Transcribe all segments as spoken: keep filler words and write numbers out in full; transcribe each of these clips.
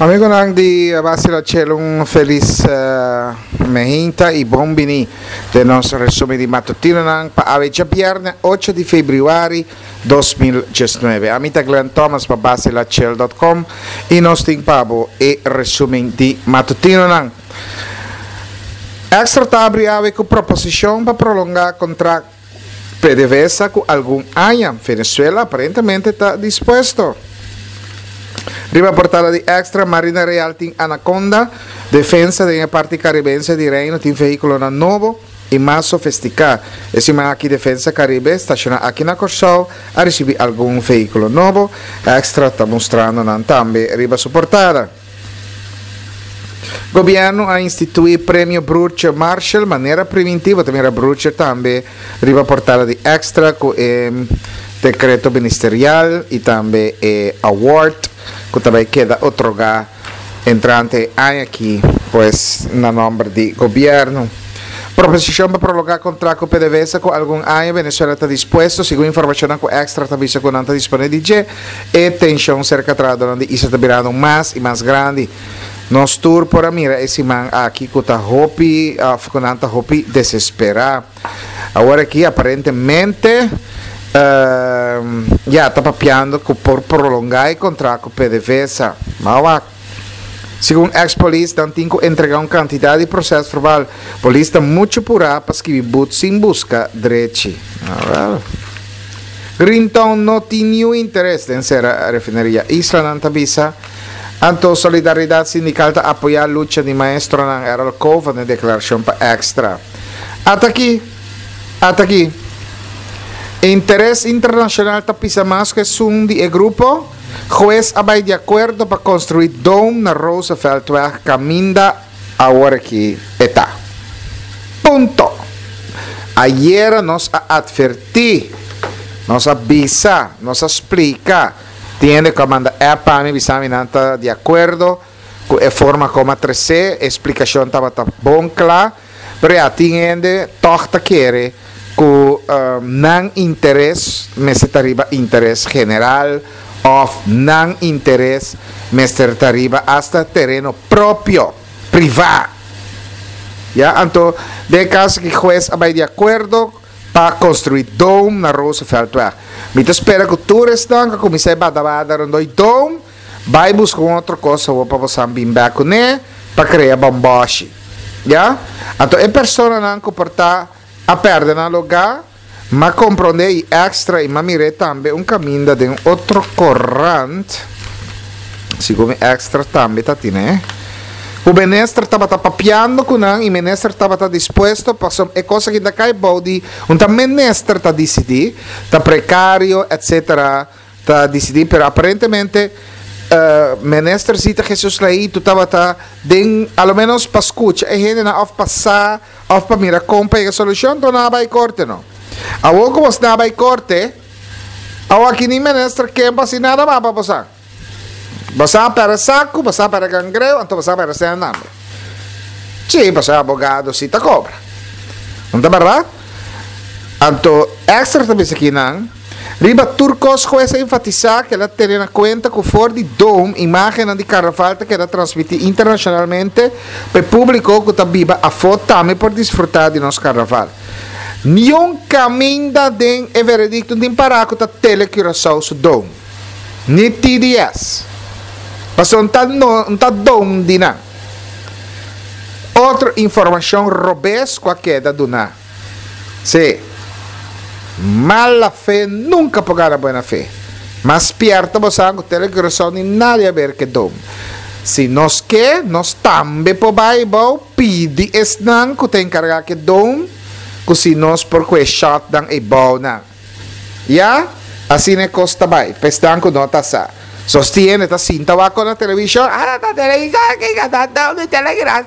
Amigonan di Basila Chel, un felis uh, mainta i bon bini den nos resumen di matutinonan pa awe djabièrnè ocho di febrüari dos mil diesnuebe. Ami ta Glenn Thomas pa basilachel punto com i nos tin pa bo e resumen di matutinonan. Extra ta habri awe ku proposishon pa prolongá kontrakt P D V S A ku algun aña. Venezuela aparentemente ta dispuesto. Riba portada di Extra, Marina Real tin Anaconda, defensa di parti karibense di Reino tin vehíkulonan nobo i mas sofistiká. E siman aki Defensa Karibe, stashoná aki na Kòrsou, a risibí algun vehíkulo nobo. Extra ta mustrando nan tambe riba su portada. Gobièrnu a instituí premio Broertje Marshall, manera preventivo, tambe Broertje tambe riba portada di Extra ku e dekreto ministerial i tambe e award ku tambe keda otorgá entrante aki, pues, na nòmber di gobièrnu. Proposishon pa prolongá kontrakt ku P D V S A ku algun aña, Venezuela ta dispuesto, segun informashon ku Extra tambe ku nan ta disponé di dje. E tenshon serka trahadó di Isla ta birando mas i mas grandi. Nos tur por a mira e siman aki ku ta hopi, uh, ku nan ta hopi desesperá. Awor aki aparentemente uh, ya ta papiando ku por prolongá e kontrakt ku P D V S A. Mas segun ex-polis, nan tin ku entregá un kantidat di prosèsverbal. Polis ta muchu purá pa skirbi but sin buska drechi. Ah, well. Greentown no tin ningun interes den sera refineria Isla, nan ta bisa. Anto Solidaridat Sindikal ta apoyá lucha di maestronan, Errol Cova na deklarashon pa Extra. Ata aki, ata aki. Interes internashonal ta pisa mas ku esun di e grupo. Hues a bai di akuerdo pa konstruí dome na Rooseveltweg, kaminda awor aki e ta. Punto. Ayera nos a atvertí, nos a bisa, nos a splika. Tin ku manda app pa mi, bisa mi nan ta di akuerdo ku e forma kon a trese, e splikashon tabata bon kla, pero ya tin hende tòg ta kere ku um, nan interes mester ta riba interes general òf nan interes mester ta riba hasta tereno propio, privá. Ya, anto, den kaso ku hues a bai di akuerdo pa konstruí dome na Rooseveltweg. Mi ta spera ku tur esnan ku kuminsá bada rondó dome, bai buska un otro kos pa bo bin bèk kuné pa krea bomboshi. Ya? Anto, e personanan ku por ta a pèrdè nan lugá, m'a komprondé i Extra i m'a mira tambe un kaminda di otro korant, segun Extra tambe ta tin, eh? E minister tabata papiando ku nan i minister tabata dispuesto pa e kos ku ta kai bou di un ta minister ta disidí, ta prekario, et cetera ta disidí, pero aparentemente uh, minister Zita Jesus Leito tabata den alo menos pa skucha e hendenan òf pasa òf pa mira kon pa e solushon, anto nan a bai korte, no. Awor ku nan a bai korte, awor aki ni minister ke pa nada mas pa pasa. Boso a pèrdè saku, boso a pèrdè kangreu, anto boso a pèrdè sèn tambe. Si, pasobra abogado si ta kobra. No ta bèrdat? Anto, Extra tambe akinan, riba tur kos hues a enfatisá ku el a tene na kuenta ku for di dome imágen di karnaval ta keda transmití internashonalmente pa públiko ku ta biba afó tambe por disfrutá di nos karnaval. Niun kaminda den e veredikto tin pará ku ta Tele Curaçao su dome. Ni T D S. Pasobra no ta no ta dome di nan. Otro informashon robes ku a keda duná. Si. Mala fe nunka por gana buena fe. Mas spierta bo ku Tele Curaçao ni nada di aber ku dome. Si nos ke, nos tambe por bai pidi esnan ku ta enkargá ku dome, ku si nos por kue shot dan e bou nan. Ya? Asina e kos ta bai. Pa esnan ku no ta sa. Sostiene, ta sinta wak na televishon. Ah, ta televishon, ku ta dome Telegram.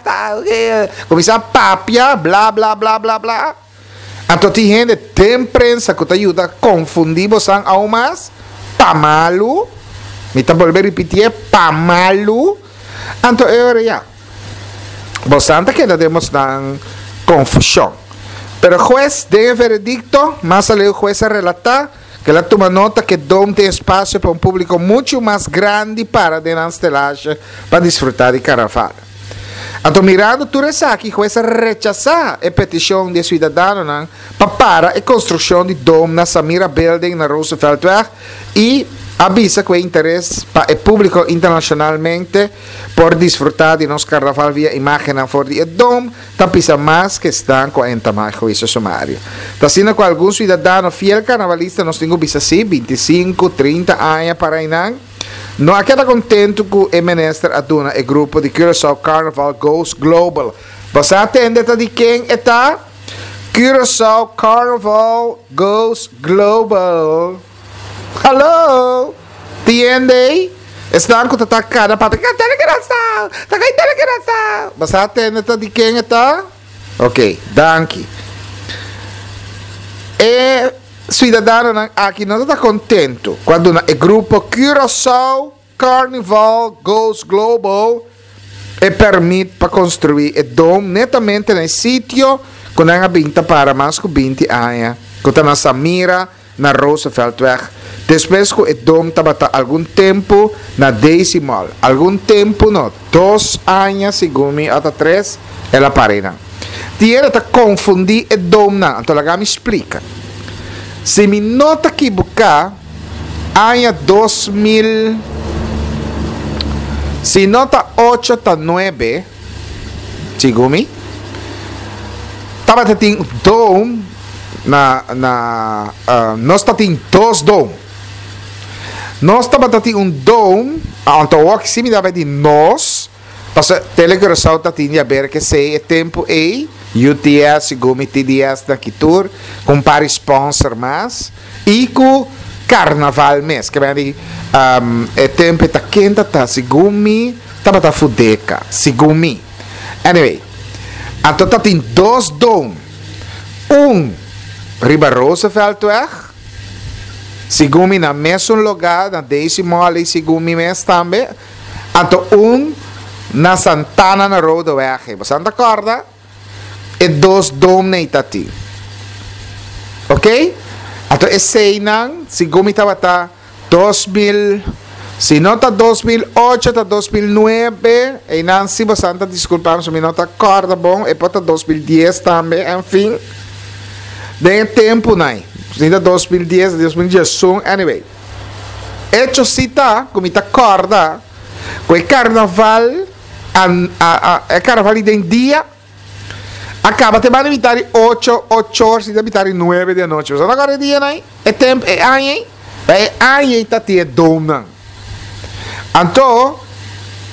Kuminsá papia, bla bla bla bla bla. Anto tin hende den prensa ku ta yuda konfundí boso aún mas. Pa malu. Mi ta bolbe ripití, pa malu. Anto e ya. Boso ta keda den konfushon. Pero hues den veredikto, mas aleu hues a relatá Ku el a tuma nota ku Dome tin espasio pa un públiko muchu mas grandi para den stelage pa disfrutá di karnaval. Anto, mirando tur esaki, hues a rechasá e petishon di siudadanonan pa para e konstrukshon di Dome na Samira Building na Rooseveltweg i a bisa ku e interes pa e públiko internashonalmente por disfrutá di nos karnaval via imágen for di Dome ta pisa mas ku esnan ku a entamá huisio sumario. Ta asina ku algun siudadano fiel karnavalista, nos tin ku bisa si, bintisinku, trinta aña para einan, no a keda kontentu ku e minister a duna e grupo di Curaçao Carnival Goes Global. Bo a tende ta di ken e ta? Curaçao Carnival Goes Global. Hallo? Tende? Esnan ku ta kada papia. Tele Curaçao! Ta kai Tele Curaçao! Bo a tende ta di ken e ta? Ok, danki. E siudadanonan aki no ta kontentu ku e grupo Curaçao Carnival Goes Global e pèrmit pa konstruí e dome netamente na sitio ku nan a bin ta para mas ku binti aña, ku ta na Samira na Rooseveltweg. Despues ku e dome tabata algun tempu na Daisy Mall. Algun tempu no, dos aña segun mi, òf tres, el a para einan. Tin hende ta konfundí e dome nan, anto laga mi splika. Si mi no ta ekivoká, aña dos mil, si no ta ocho ta nuebe, segun mi, tabatin dome na na uh, nos tabatin dos dome. Nos tabatin un dome, anto wak si mi daba di nos, paso Tele Curaçao tabatin di aber ku esei e tempu ei, U T S, segun mi T D S na Kitur, ku par sponsor mas, i ku Karnaval mes, ku di um, e tempu ta kenta ta, segun mi, tabata Fudeka, segun mi. Anyway, anto tabatin dos dome. Un riba Rooseveltweg, segun mi na mesun lugá, na Daisy Mall, segun mi mes tambe. Anto un na Santana na Rodeweg. Bo ta kòrda? E dos dome ei tatin. Ok? Anto eseinan, segun mi tabata dos mil, si no ta dos mil ocho, ta dos mil nuebe, einan si bo ta diskulpá, si mi no ta kòrda bon, e por ta dos mil dies tambe, en fin. Den tempu nei. Si ta dos mil dies, dos mil diesun, anyway. Echo si ta, ku mi ta kòrda, ku e karnaval, a, a, a, e karnaval den dia, a kaba te banda mitar di ocho, ocho or, si ta mitar di nuebe di anochi. Bo ta kòrda dia nei? E tempu, e aña, e aña tatin e dome nan. Anto,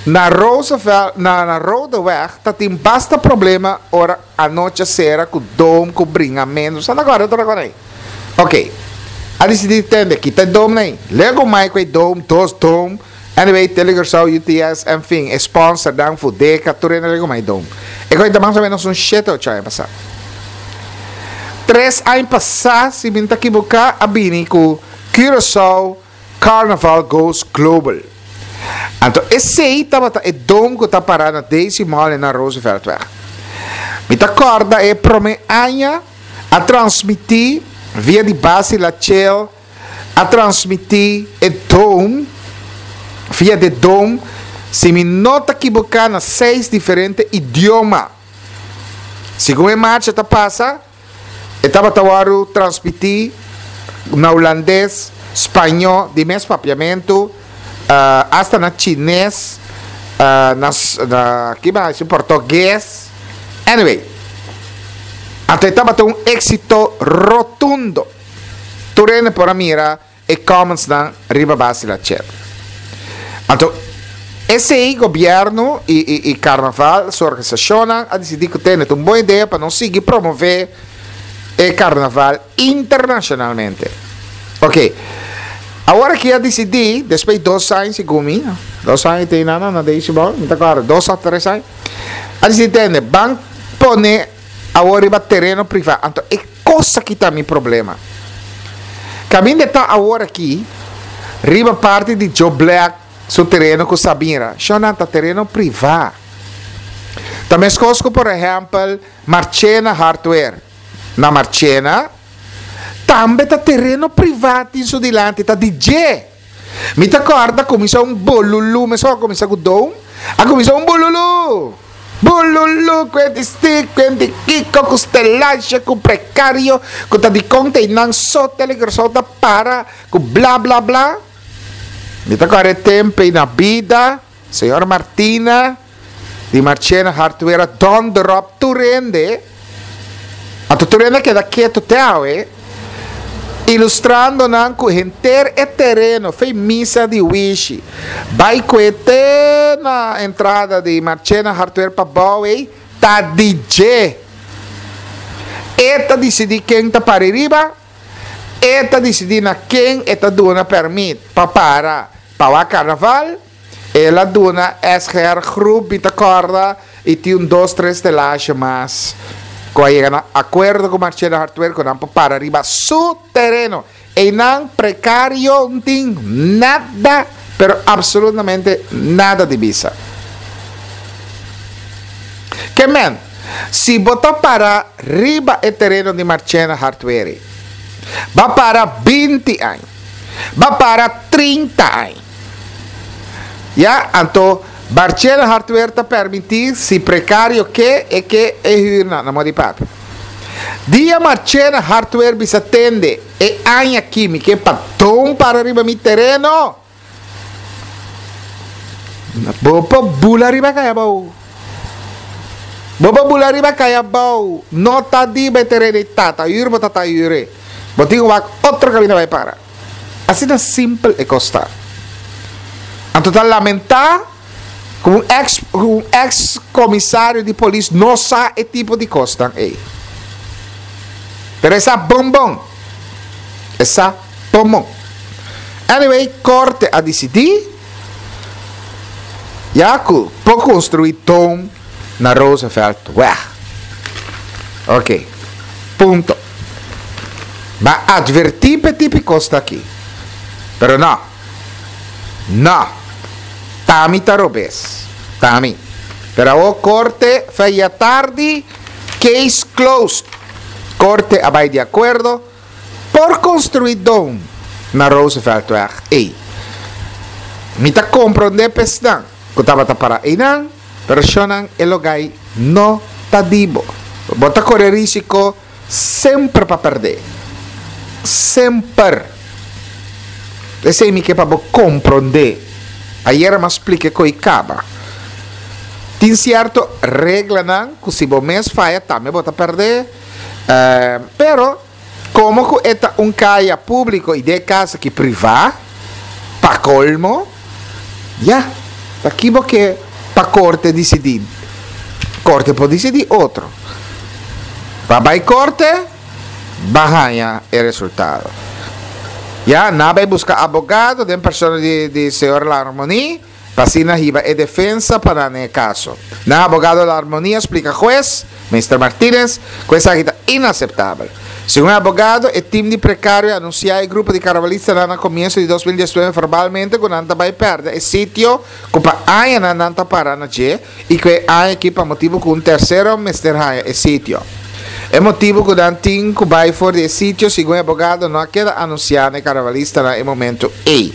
na Roosevelt, na, na Rodeweg, tatin basta problema ora anochi sera ku dome, ku bringamentu. Bo ta kòrda, ta kòrda ei? Ok. A disidí, tende, kita dome nei. Lego mai ku dome, dos dome. Anyway, Telecuraçao, U T S, en fin, sponsor dan Fudeka, tur hende legumai dome. E kos mas o ménos un shete ocho aña pasá. Tres aña pasá, si mi n' ta ekivoká, a bini ku Curaçao Carnival Goes Global. Anto, esei tabata e dome ku ta pará na Daisy Mall na Rooseveltweg. Mi ta kòrda e promé aña a transmití via di base La Chel, a transmití e dome via di dome, si mi no ta ekivoká, na seis diferente idioma. Segun e marcha ta pasa, e tabata transmití na hulandes, spañó, di mes papiamentu, uh, hasta na chines, uh, na, na ki mas, portugues. Anyway, anto tabata un éksito rotundo. Tur hende por a mira e comments nan riba base la chat. Anto, esei gobièrnu i, i, i karnaval, su organisashon a disidí ku tin un bon idea pa nos sigui promové e karnaval internashonalmente. Ok. Awor aki a disidí, despues di dos aña, segun mi, dos aña tin nada, na Daisy Mall, no klaro, dos òf tres aña, a disidí, tende, ban pone awor riba tereno privá. Anto, e kos aki ta mi problema. Kaminda ta awor aki, riba parti di Joe Black, su tereno ku Sabira, shona ta tereno privá. Tambe ku, por ehèmpel, Marchena Hardware. Na Marchena, Tambe ta tereno privá tin su dilanti, ta di dje. Mi ta kòrda kuminsá un bolulu, mesora a kuminsá ku dome, a kuminsá un bululu. Bululu ku e di stik, ku e di kiko, ku stelansha, ku prekario, ku ta dikon ta einan so Telegrasow ta para, ku bla bla bla. Mi ta kòrda e tempu ei na bida, señor Martina di Marchena Hardware a dònder òp tur hende. Anto tur hende a keda ketu te awe, ilustrando nan ku henter e tereno fei misa di Wishi bai kue te na entrada di Marchena Hardware pa bou ei ta di dje. E ta disidí ken ta para riba, e ta disidí na ken e ta duna pèrmit pa para pa wak karnaval. El a duna S G R Groep, mi ta kòrda, i tin un dos tres telashe mas ku a yega na akuerdo ku Marchena Hardware ku nan por para riba su tereno. Einan prekario no tin nada, pero absolutamente nada di bisa. Ke men, si bo ta para riba e tereno di Marchena Hardware, b'a para binti aña, b'a para trinta aña. Ya, anto Marchena Hardware ta permití si prekario ke e ke e huur na, na modi papi. Dia Marchena Hardware bisa: "Tende, e aña aki mi ke pa dome para riba mi tereno." Bo por bula riba kaya bou. Bo por bula riba kaya bou. No ta di bo tereno tata, huur bo tata huur. Bo tin wak otro kaminda bai para. Asina simpel e kos ta. Anto ta lamentá ku un ex un ex komisario di polis no sa e tipo di kos ei. Pero e sa bon bon. E sa bon bon. Anyway, korte a disidí ya ku por konstruí dome na Rooseveltweg. Ok. Punto. M'a atvertí p'e tipo kos aki. Pero no. No. T'ami ta robes. T'ami. Pero e korte for atardi, case closed. Korte a bai di akuerdo por konstruí dome na Rooseveltweg. Ei. Mi ta komprondé p'esnan ku tabata para einan, pero shonnan, e lugá ei no ta di bo. Bo ta kore rísiko semper pa pèrdè. Semper. Esei mi ke pa bo komprondé. Ayera m'a splika ku kaba. Tin sierto reglanan ku si bo mes faya tambe bo ta pèrdè. Uh, pero komo ku e ta un kaya públiko i den kaso aki privá, pa kolmo, ya, aki bo ke pa korte disidí. Korte por disidí otro. Pa bai korte, b'a haña e resultado. Ya, nan a bai buska abogado den persona di, di señor Larmonie, pa asina hiba e defensa pa e kaso. Nan abogado Larmonie a splika hues, Mister Martinez, ku esaki ta inaseptabel. Segun e abogado, e tim di prekario a anunsiá e grupo di karnavalistanan na komienso di dos mil diesnuebe verbalmente ku nan ta bai pèrdè e sitio ku pa aña nan ta para na dje i ku e aña aki pa motibu ku un tersero mester haña e sitio. E motibu ku nan tin ku bai for di e sitio, segun e abogado, no a keda anunsiá na karnavalistanan na e momento ei.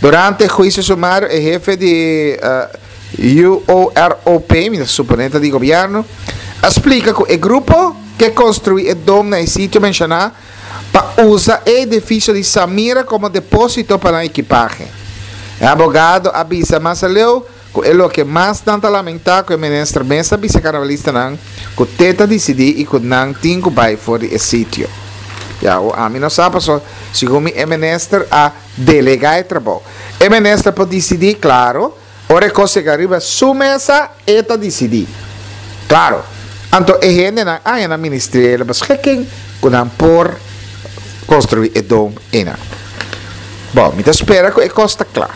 Durante e huisio sumario, e hefe di uh, U O R O P, mi suponé di gobièrnu, a splika ku e grupo ke konstruí e dome na e sitio menshoná pa usa e edifisio di Samira komo depósito pa ekipahe. E abogado a bisa mas aleu ku e loke mas nan ta lamentá ku e minister mes a bisa karnavalistanan ku t'e ta disidí i ku nan tin ku bai for di e sitio. Ya, o ami no sa so, segun mi e minister a delegá e trabou. E minister por disidí, klaro, ora kos riba su mesa, e ta disidí. Klaro. Anto e hendenan a na ministeriële beschikking ku nan por konstruí e dome einan. Bon, mi ta spera ku e kos ta kla.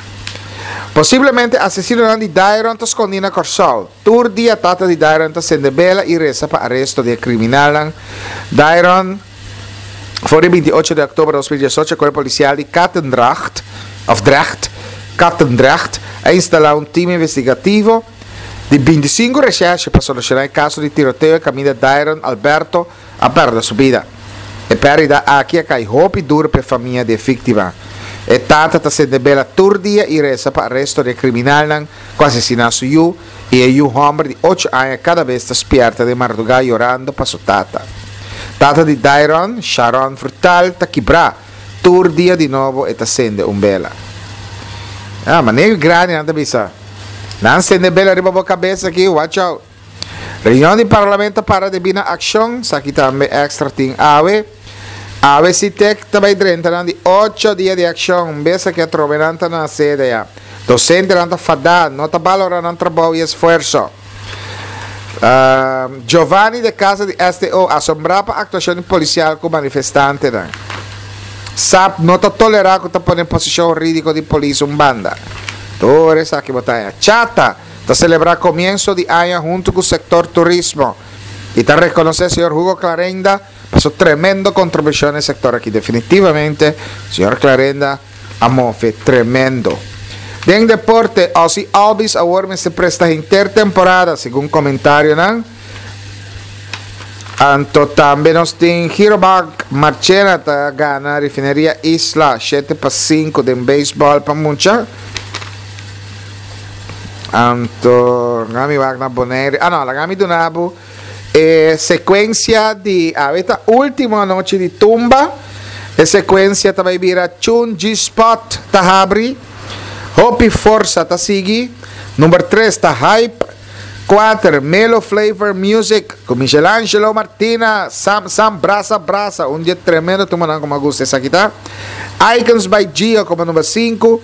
Posiblemente asesino di Dairon ta skondí na Kòrsou. Tur dia tata di Dairon ta sende bela i resa pa aresto di kriminal. Dairon, for di bintiocho di òktober di dos mil diesocho, kuerpo polisial di Katendrecht, of Drecht, Katendrecht, a instalá un tim investigativo di bintisinku recherche pa solushoná e kaso di tiroteo kaminda Dairon Alberto a pèrdè su bida. E pèrdida aki a kai hopi duru pa e famia di e víktima. E tata ta sende bela tur dia i resa pa aresto di e kriminalnan ku asesiná su yu i e yu hòmber di ocho aña kada bes ta spièrta den mardugá yorando pa su tata. Tata di Dairon, Sharon Frutal, ta kibrá. Tur dia di nobo e ta sende un bela. Ah, manera grandinan ta bisa, Nan sende bela riba bo kabes aki, watch out. Reunion di Parlamento para debí na akshon, esaki tambe Extra tin awe. Awe Sitek ta bai drenta nan di ocho dia di akshon, un bes aki atrobe nan ta na sede ya. Dosentenan ta fadá, no ta balorá nan trabou i esfuerso. Giovanni de Casa di S T O asombrá pa aktuashon di polisial ku manifestantenan. S A P no ta tolerá ku ta pone posishon hurídiko di polis un banda. Tur esaki bo ta haña. Chata ta selebrá komienso di aña huntu ku sektor turismo i ta rekonosé señor Hugo Clarenda pa su tremendo kontribushon na e sektor aki. Definitivamente señor Clarenda a move tremendo. Den deporte, Ozzie Albies awor mester presta henter temporada, segun komentarionan. Anto tambe nos tin Girobank Marchena ta gana Refineria Isla shete pa sinku den beisbòl pa mucha. Anto laga mi wak na Bonaire. Ah no, laga mi duna bo e sekuensia di awe ta ultimo anochi di tumba. E sekuensia ta bai bira Chun G-Spot ta habri, Hopi Forsa ta sigui, number tres ta Hype, kuater Melo Flavor Music ku Michelangelo Martina, Sam Sam Brasa Brasa, un dia tremendo tumbanan ku mi a gusta esaki ta, Icons by Gio komo number sinku,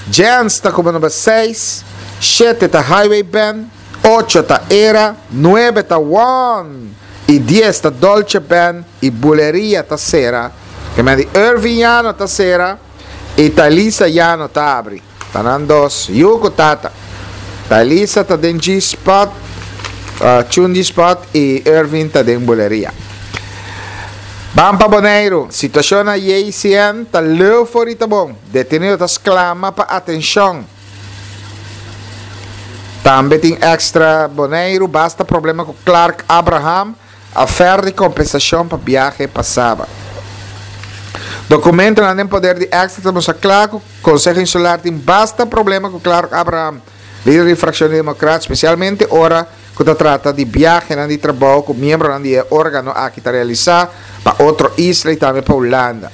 Jens ta komo number seis, shete ta Highway Band, ocho ta Era, nuebe ta One i dies ta Dolce Band i Buleria ta sera, ke men di Irving Yano ta sera i Thalisa Yano ta abri. Ta nan dos yu ku tata. Thalisa ta den G-spot, Chun G-spot i Irving ta den Buleria. Ban pa Boneiru, situashon na J C N ta leu for i ta bon. Detenido ta sklama pa atenshon. Tambe tin Extra Boneiru basta problema ku Clark Abraham, afèr di kompensashon pa biahe pa Saba. Dokumentonan den poder di Extra ta mustra kla ku Konseho Insular tin basta problema ku Clark Abraham, lider di frakshon di Demokrat, spesialmente ora ku ta trata di biahenan di trabou ku miembronan di e órgano aki ta realisá pa otro isla i tambe pa Hulanda.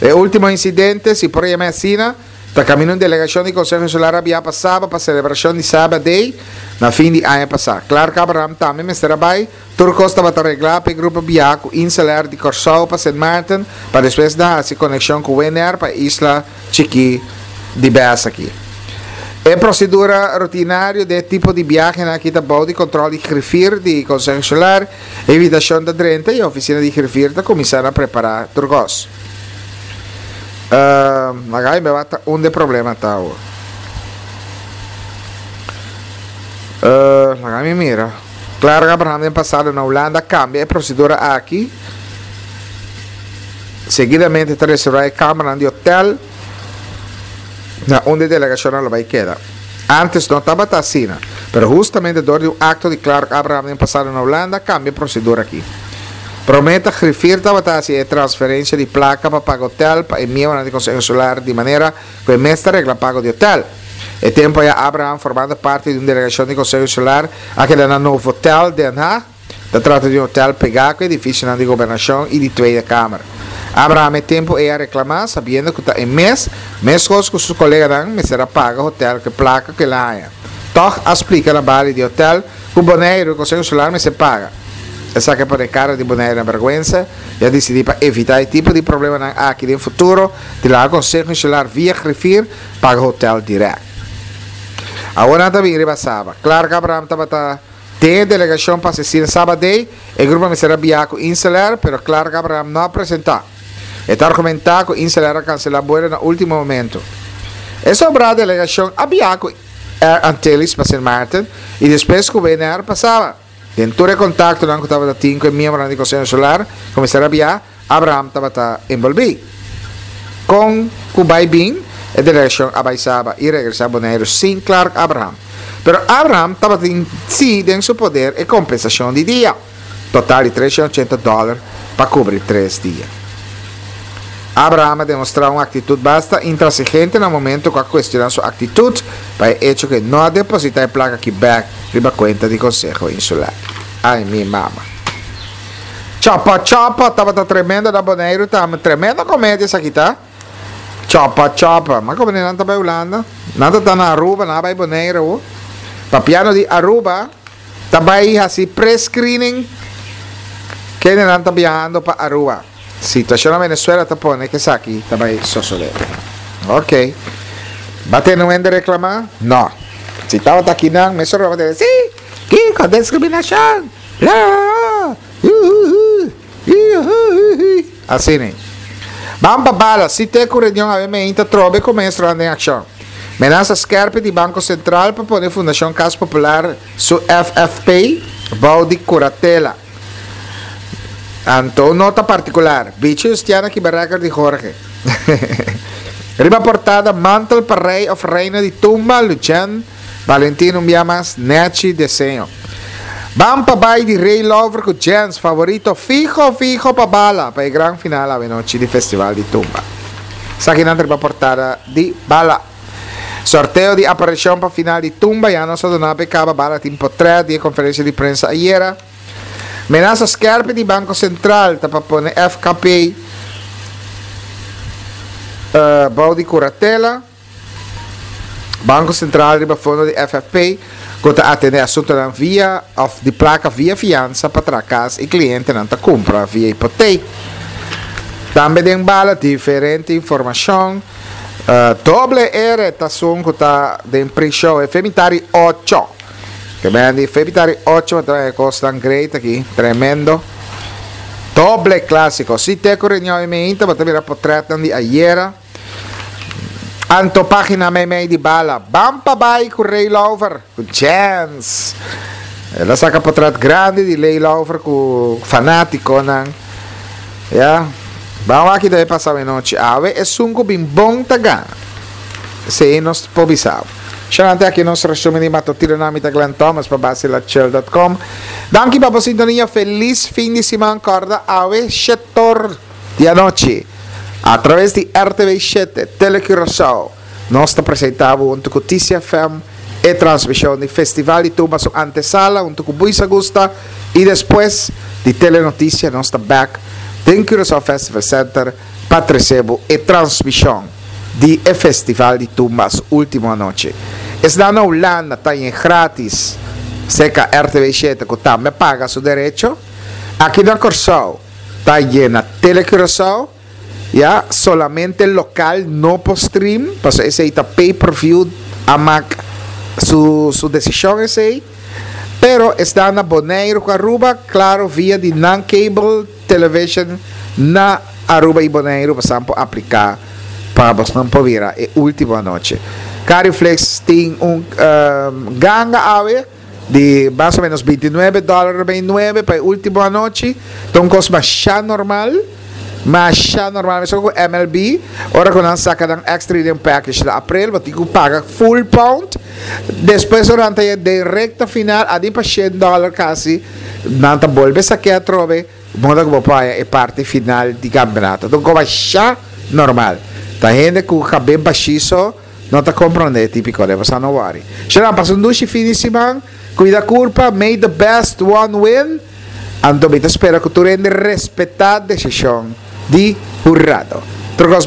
E último insidente, si por yam'é asina, ta kaminda un delegashon di Konseho Insular a biaha pa Saba pa selebrashon di Saba Day na fin di aña pasá. Clark Abraham tambe mester a bai. Tur kos tabata reglá pa e grupo biaha ku InselAir di Kòrsou pa Sint Maarten pa despues nan hasi konekshon ku Winair pa e isla chikí di bes aki. E prosedura rutinario di e tipo di biahenan aki ta bou di kontròl di grifir di Konseho Insular. E invitashon ta drenta i e ofisina di grifir ta kuminsá na prepará tur kos. Laga mi wak ta unda e problema ta awor. Laga mi mira. Claro Abraham den pasado na Hulanda a cambia e procedura aki. Seguidamente ta reserva e kamernan di hotel na unda e delegacionnan lo bay keda. Antes no tabata asina, pero hustamente door di un acto di Clark Abraham den pasado na Hulanda a cambia e procedura aki. Prome ta Griffier tabata haci e transferencia di placa pa paga hotel pa e miembronan di Conseho Insular di manera cu e mes ta regla pago di hotel. E tempo aya Abraham, formando parti di un delegacion di Conseho Insular, a keda na Novotel Den Haag. Ta trata di un hotel pegá cu edificionan di Gobernacion y di Tweede Kamer. Abraham e tempo ey a reclama, sabiendo cu ta e mes, mescos cu su coleganan, mester a paga hotel cu e placa cu el a haña. Tog a splica na bali di hotel cu Boneiru y Conseho Insular mester paga. Esaki a pone cara di Boneiru na berguensa y a dicidi pa evita e tipo di problemanan aki den futuro di laga Conseho Insular via Griffier paga hotel direct. Awor nan ta bin riba Saba. Clark Abraham tabata den e delegacion pa asistí na Saba Day. E grupo mester a biaha cu InselAir, pero Clark Abraham no a presenta. E ta argumenta cu InselAir a cancela buelo na ultimo momento. E sobrá delegacion a biaha cu Air Antilles pa Sint Maarten y despues cu W N R pa Saba. Den tur e contactonan cu tabata tin cu e miembronan di Conseho Insular cu mester a biaha, Abraham tabata enbolbí. Kon ku bai bin, e delegashon a bai Saba i regresá Boneiru sin Clark Abraham. Pero Abraham tabatin sí den su poder e kompensashon di dia, total di tres shen ochenta dòler Pa kubri tres dia. Abraham a demostrá un aktitut basta intransigente na momento ku a kuestioná su aktitut pa e echo ku e no a depositá e plaka aki bèk riba kuenta di Konseho Insular. Ai mi mama. Chapa Chapa tabata tremendo na Boneiru tambe. Tremendo komedia esaki ta. Chapa Chapa. Ma komo nan ta bai Hulanda? Nan ta ta na Aruba, nan a bai Boneiru awo. Papiano di Aruba ta bai hasi pre-screening kendenan ta biahando pa Aruba. Situacion na Venezuela ta pone cu esaki ta bay sosode. Ok. Ba tene un hende reclama? No. Si tabata akinan, mesora lo ba tene, Si! Kiko? Discriminacion! La la la! Uhuhu! Iuhuhuhui! Asina. Ban pa bala, si te cu reunion awe meinta trobe cu maestronan den accion. Menasa skerpi di Banco Central pa pone Fundacion Cas Popular su F F P bou di curatela. Anto un nota particular, Bichi Justiana kiba record di Jorge. Riba portada mantel pa rey of reina di tumba, Luchen Valentin un bia mas nechi deseño. Ban pa bai di Ray Lover cu Jens favorito fiho fiho pa bala pa e gran final awenochi di Festival di Tumba. Esakinan ta riba portada di Bala. Sorteo di aparicion pa final di Tumba ya nos a duna pa e caba. Bala tin potret di e conferencia di prensa ayera. Menasa skerpi di Banco Central ta pa pone F K P bou di curatela. Banco Central riba fondo di F F P cu ta atende asuntonan via of di placa via fiansa pa traha cas y clientenan ta cumpra via hipoteek. Tambe den Bala diferente informacion. Doble R ta esun cu ta den pre-show e Femitari ocho. Ke ben di Femitari ocho ta e cosnan great aki, tremendo. Doble clasico. Si te cu reunion e meinta, bo ta mira potretnan di ayera. Anto pagina meimei di Bala. Ban pa bai cu Ray Lover, cu Jens. El a saca potret grandi di Ray Lover cu fanaticonan. Ya. Ban wak debe pasa anochi. Awe esun cu bin bon ta gana. Esey nos por bisa. Sharante aki nos resumen di matutino na mita Glenn Thomas pa basilachill punto com. Danki pa bo sintonia. Feliz fin di siman. Corda awe shet'or di anochi. A traves di R T V shete, Tele Curaçao, nos ta presenta hunto cu T C F M e transmision di Festival di Tumba su antesala hunto cu Buis Augusta y despues di Telenoticia nos ta back den Curaçao Festival Center pa trece bo e transmision di e Festival di Tumba su ultimo anochi. Esnan na Hulanda ta gratis serca R T V shete cu tambe paga su derecho. Aki na Corsou ta na Tele Curaçao, ya solamente local no por stream, paso esey ta pay per view, amak su su decision esey. Pero esnan na Bonaire cu Aruba, claro, via di nan cable television na Aruba y Bonaire, pa por aplica pa bo por mira e ultimo anochi. Cariflex tin un um, ganga awe di mas o menos bintinuebe dollar nuebe pa e ultimo anochi. Anto, cos mas normal, mas normal, mesmo cu M L B, ora cu nan saca dan extra inning package na april, bo tin cu paga full pound. Despues, durante e recta final, adi pa shen dollar casi, nan ta bolbe saca atrobe, moda cu paga e parti final di campeonato. Anto, cos normal. Ta hende cu cabes bashi so, no ta comprende tipico, ne? Bo no worry. Shera, pasa un dushi fin di siman, cuida curpa, may the best one win. Anto, mi ta spera cu tur hende respeta e decision di hurado. Tur cos.